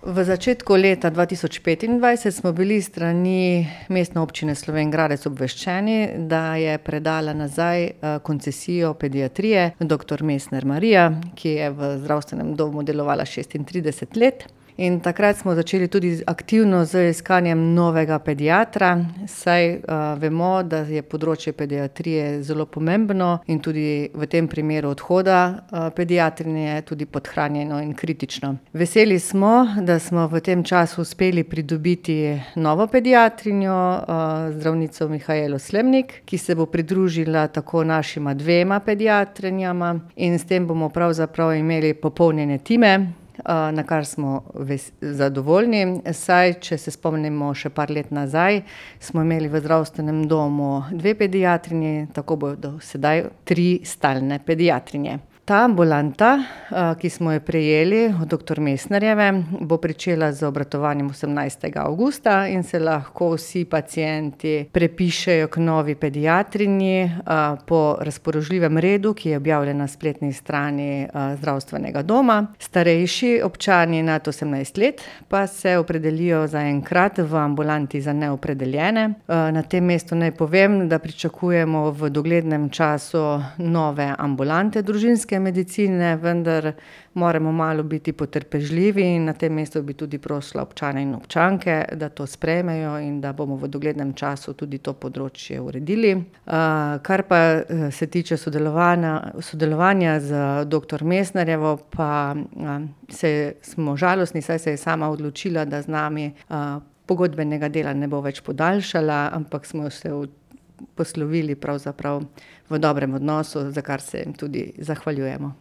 V začetku leta 2025 smo bili s strani Mestne občine Slovenj Gradec obveščeni, da je predala nazaj koncesijo pediatrije doktor Mesner Marija, ki je v zdravstvenem domu delovala 36 let. In takrat smo začeli tudi aktivno z iskanjem novega pediatra, saj vemo, da je področje pediatrije zelo pomembno in tudi v tem primeru odhoda pediatrinje tudi podhranjeno in kritično. Veseli smo, da smo v tem času uspeli pridobiti novo pediatrinjo, zdravnico Mihaelo Slemnik, ki se bo pridružila tako našima dvema pediatrinjama in s tem bomo pravzaprav imeli popolnjene time, na kar smo zadovoljni, saj če se spomnimo še par let nazaj, smo imeli v zdravstvenem domu 2 pediatrinji, tako bodo sedaj 3 stalne pediatrinje. Ta ambulanta, ki smo jo prejeli od doktor Mesnerjeve, bo pričela z obratovanjem 18. avgusta in se lahko vsi pacienti prepišejo k novi pediatrinji po razpoložljivem redu, ki je objavljen na spletni strani zdravstvenega doma. Starejši občani nad 18 let pa se opredelijo zaenkrat v ambulanti za neopredeljene. Na tem mestu naj povem, da pričakujemo v doglednem času nove ambulante družinske medicine, vendar moramo malo biti potrpežljivi in na tem mestu bi tudi prosila občane in občanke, da to sprejmejo in da bomo v doglednem času tudi to področje uredili. Kar pa se tiče sodelovanja z doktor Mesnerjevo, pa smo žalostni, saj se je sama odločila, da z nami pogodbenega dela ne bo več podaljšala, ampak smo se poslovili pravzaprav v dobrem odnosu, za kar se jim tudi zahvaljujemo.